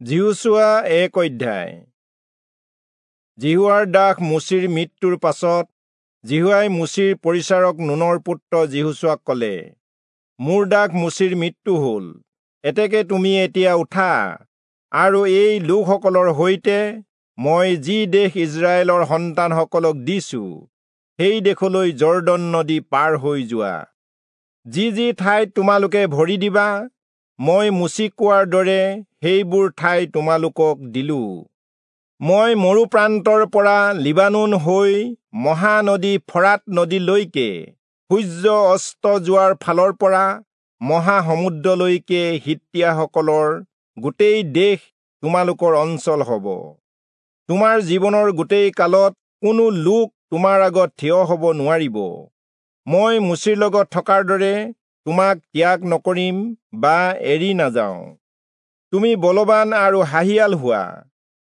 যিহোচূৱা 1 অধ্যায়। যিহোৱাৰ দাস মোচিৰ মৃত্যুৰ পাছত যিহোৱাই মোচিৰ পৰিচাৰক নুনৰ পুত্ৰ যিহোচূৱাক ক'লে, মোৰ দাস মোচিৰ মৃত্যু হ'ল, এতেকে তুমি এতিয়া উঠা আৰু এই লোকসকলৰ সৈতে মই যি দেশ ইস্ৰায়েলৰ সন্তানসকলক দিছো সেই দেশলৈ যৰ্দন নদী পাৰ হৈ যোৱা। যি যি ঠাইত তোমালোকে ভৰি দিবা, মই মোচিক কোৱাৰ দৰে সেইবোৰ ঠাই তোমালোকক দিলো। মই মৰু প্ৰান্তৰ পৰা লিবানোন হৈ মহানদী ফৰাত নদীলৈকে, সূৰ্য অস্ত যোৱাৰ ফালৰ পৰা মহাসমুদ্ৰলৈকে হিত্তীয়াসকলৰ গোটেই দেশ তোমালোকৰ অঞ্চল হ'ব। তোমাৰ জীৱনৰ গোটেই কালত কোনো লোক তোমাৰ আগত থিয় হ'ব নোৱাৰিব। মই মোচিৰ লগত থকাৰ দৰে তোমাক ত্যাগ নকৰিম বা এৰি নাযাওঁ। তুমি বলৱান আৰু সাহিয়াল হোৱা,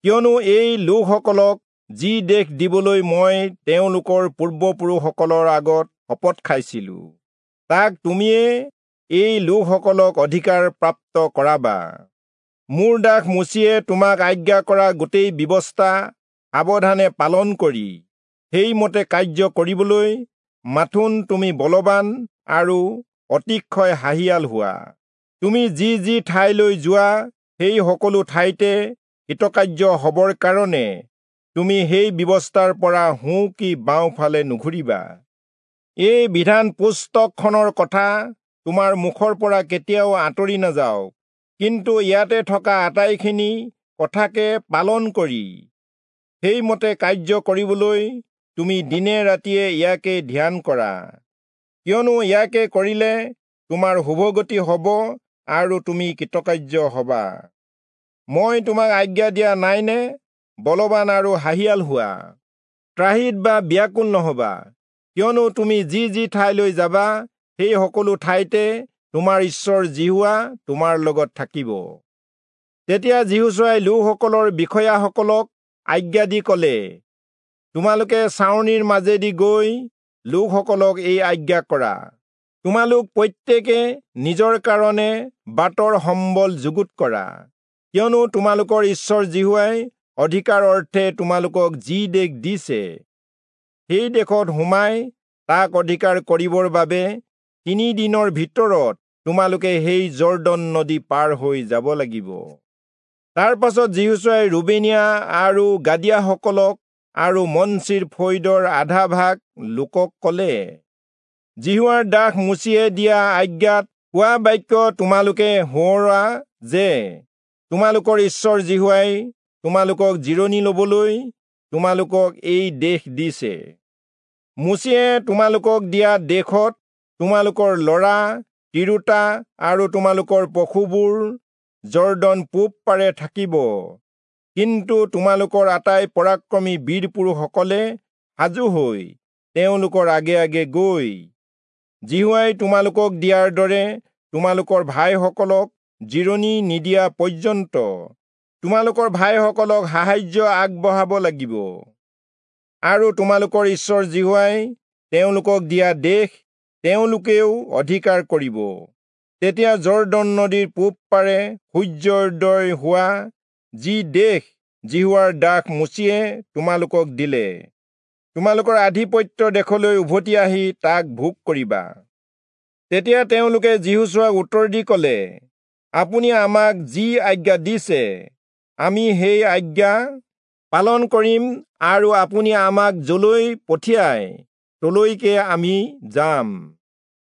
কিয়নো এই লোকসকলক যি দেশ দিবলৈ মই তেওঁলোকৰ পূৰ্বপুৰুষসকলৰ আগত শপত খাইছিলো, তাক তুমিয়ে এই লোকসকলক অধিকাৰ প্ৰাপ্ত কৰাবা। মোৰ দাস মোচিয়ে তোমাক আজ্ঞা কৰা গোটেই ব্যৱস্থা সাৱধানে পালন কৰি সেইমতে কাৰ্য কৰিবলৈ মাথোন তুমি বলৱান আৰু অতিশয় সাহিয়াল হোৱা। তুমি যি যি ঠাইলৈ যোৱা সেই সকলো ঠাইতে হিতকাৰ্য হ'বৰ কাৰণে তুমি সেই ব্যৱস্থাৰ পৰা সোঁ কি বাওঁফালে নুঘূৰিবা। এই বিধান পুস্তকখনৰ কথা তোমাৰ মুখৰ পৰা কেতিয়াও আঁতৰি নাযাওক, কিন্তু ইয়াতে থকা আটাইখিনি কথাকে পালন কৰি সেইমতে কাৰ্য কৰিবলৈ তুমি দিনে ৰাতিয়ে ইয়াকে ধ্যান কৰা, কিয়নো ইয়াকে কৰিলে তোমাৰ শুভগতি হ'ব আৰু তুমি কৃতকাৰ্য হবা। মই তোমাক আজ্ঞা দিয়া নাইনে? বলৱান আৰু সাহিয়াল হোৱা, ত্ৰাহিত বা ব্যাকুল নহবা, কিয়নো তুমি যি যি ঠাইলৈ যাবা সেই সকলো ঠাইতে তোমাৰ ঈশ্বৰ যিহোৱা তোমাৰ লগত থাকিব। তেতিয়া যিহোচূৱাই লোকসকলৰ বিষয়াসকলক আজ্ঞা দি ক'লে, তোমালোকে ছাউনিৰ মাজেদি গৈ লোকসকলক এই আজ্ঞা কৰা, তোমালোক প্ৰত্যেকে নিজৰ কাৰণে বাটৰ সম্বল যুগুত কৰা, কিয়নো তোমালোকৰ ঈশ্বৰ যিহোৱাই অধিকাৰ অৰ্থে তোমালোকক যি দেশ দিছে সেই দেশত সোমাই তাক অধিকাৰ কৰিবৰ বাবে 3 দিনৰ ভিতৰত তোমালোকে সেই যৰ্দন নদী পাৰ হৈ যাব লাগিব। তাৰ পাছত যিহোচূৱাই ৰুবেনীয়া আৰু গাদীয়াসকলক আৰু মনচিৰ ফৈদৰ আধা ভাগ লোকক ক'লে, যিহোৱাৰ দাস মোচিয়ে দিয়া আজ্ঞাত কোৱা বাক্য তোমালোকে সোঁৱৰা যে তোমালোকৰ ঈশ্বৰ যিহোৱাই তোমালোকক জিৰণি ল'বলৈ তোমালোকক এই দেশ দিছে। মোচিয়ে তোমালোকক দিয়া দেশত তোমালোকৰ ল'ৰা তিৰোতা আৰু তোমালোকৰ পশুবোৰ যৰ্দন পূব পাৰে থাকিব, কিন্তু তোমালোকৰ আটাই পৰাক্ৰমী বীৰ পুৰুষসকলে সাজু হৈ তেওঁলোকৰ আগে আগে গৈ যিহোৱাই তোমালোকক দিয়াৰ দৰে তোমালোকৰ ভাইসকলক জিৰণি নিদিয়া পৰ্যন্ত তোমালোকৰ ভাইসকলক সাহায্য আগবঢ়াব লাগিব, আৰু তোমালোকৰ ঈশ্বৰ যিহোৱাই তেওঁলোকক দিয়া দেশ তেওঁলোকেও অধিকাৰ কৰিব। তেতিয়া যৰ্দন নদীৰ পূব পাৰে সূৰ্যোদয় হোৱা যি দেশ যিহোৱাৰ দাস মোচিয়ে তোমালোকক দিলে, তোমালোকৰ আধিপত্য দেশলৈ উভতি আহি তাক ভোগ কৰিবা। তেতিয়া তেওঁলোকে যিহোচূৱাক উত্তৰ দি ক'লে, আপুনি আমাক যি আজ্ঞা দিছে আমি সেই আজ্ঞা পালন কৰিম, আৰু আপুনি আমাক যলৈ পঠিয়ায় তলৈকে আমি যাম।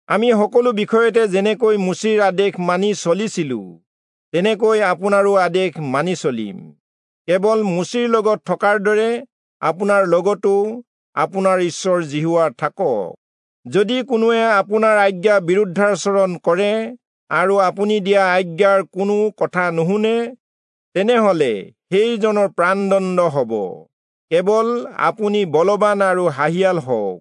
আমি সকলো বিষয়তে যেনেকৈ মোচিৰ আদেশ মানি চলিছিলো তেনেকৈ আপোনাৰো আদেশ মানি চলিম। কেৱল মোচিৰ লগত থকাৰ দৰে আপোনাৰ লগতো আপোনাৰ ঈশ্বৰ যিহোৱা থাকক। যদি কোনোৱে আপোনাৰ আজ্ঞা বিৰুদ্ধাচৰণ কৰে আৰু আপুনি দিয়া আজ্ঞাৰ কোনো কথা নুশুনে, তেনেহলে সেইজনৰ প্ৰাণদণ্ড হ'ব। কেৱল আপুনি বলৱান আৰু সাহিয়াল হওক।